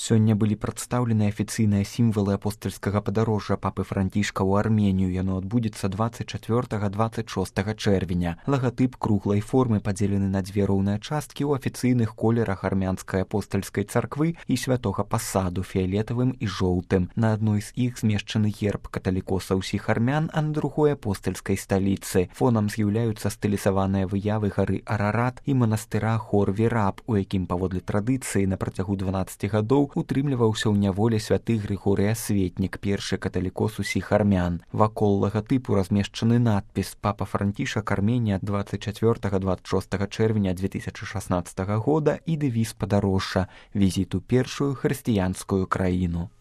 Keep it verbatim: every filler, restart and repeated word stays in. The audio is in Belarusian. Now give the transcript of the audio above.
Сёння былі прадстаўлены афіцыйныя сімвалы апостальскага падарожжа папы Францішка ў Арменію. Яно адбудзецца дваццаць чацвёртага - дваццаць шостага чэрвеня. Лагатып круглай формы падзелены на дзве роўныя часткі ў афіцыйных колерах армянскай апостальскай царквы і святога пасаду фіялетавым і жоўтым. На адной з іх змешчаны герб каталікоса ўсіх армян, а на другой апостальскай сталіцы. Фонам з'яўляюцца стылізаваныя выявы гары Арарат і манастыра Хор-Віраб, у якім паводле традыцыі на працягу дванаццаці гадоў утрымліваўся ў няволе святы Грыгорый Асветнік, першы каталікос усіх армян. Вакол лагатыпу размешчаны надпіс «Папа Францішак, Арменія, дваццаць чацвёртага - дваццаць шостага чэрвеня две тысячы шаснаццатага года» і дэвіз падарожжа «Візіт у першую хрысціянскую краіну».